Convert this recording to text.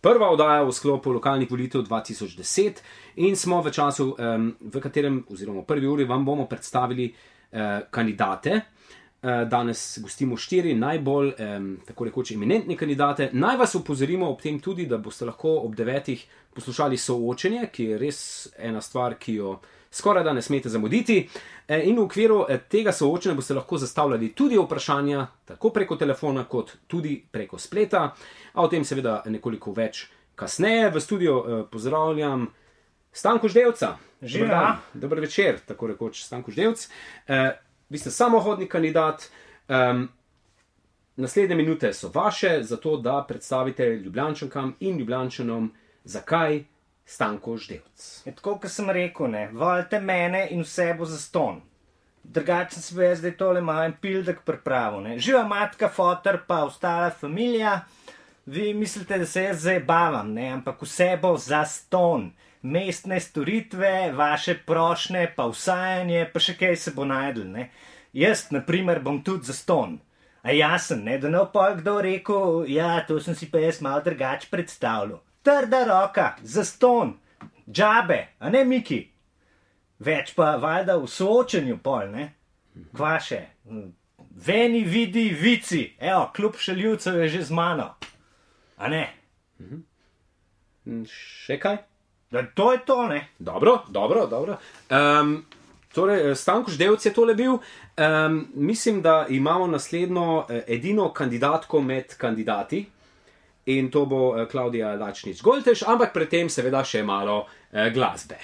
prva oddaja v sklopu lokalnih volitev 2010 in smo v času, v katerem, oziroma v prvi uri, vam bomo predstavili kandidate. Danes gostimo 4 najbolj, tako rekoč, eminentni kandidate. Naj vas opozorimo ob tem tudi, da boste lahko ob 9 poslušali soočenje, ki je res ena stvar, ki jo skoraj da ne smete zamuditi. In v okviru tega soočenja boste lahko zastavljali tudi vprašanja, tako preko telefona, kot tudi preko spleta. A o tem seveda nekoliko več kasneje. V studiu pozdravljam Stanko Ždevca. Dober večer, tako rekoč, Stanko Ždevc. Vi ste samohodni kandidat. Naslednje minute so vaše, zato da predstavite Ljubljančankam in Ljubljančanom, zakaj Stanko Ždevc. Tako, kot sem rekel, ne, volite mene in vse bo zastonj. Drugače sem se zdaj tole malo en pildek pripravil, ne. Živa matka, foter pa ostala familija. Vi mislite, da se jaz zdaj bavam, ne, ampak vse bo zastonj. Mestne storitve, vaše prošnje, pa vsajanje, pa še kaj se bo najdel, ne. Jaz, na primer, bom tudi zastonj. A jasen, ne, da ne bo pol kdo rekel, ja, to sem si pa jaz malo drugače predstavljal. Trda roka, zastonj, džabe, a ne, Miki? Več pa valjda v soočenju pol, ne. Kva še? Veni, vidi, vici, evo, klub šaljivcev je že z mano. A ne? Še kaj? Da, to je to, ne? Dobro. Torej, Stanko Ždevc je tole bil. Mislim, da imamo naslednjo edino kandidatko med kandidati in to bo Klavdija Dačnič Goltež, ampak pred tem seveda še malo glasbe.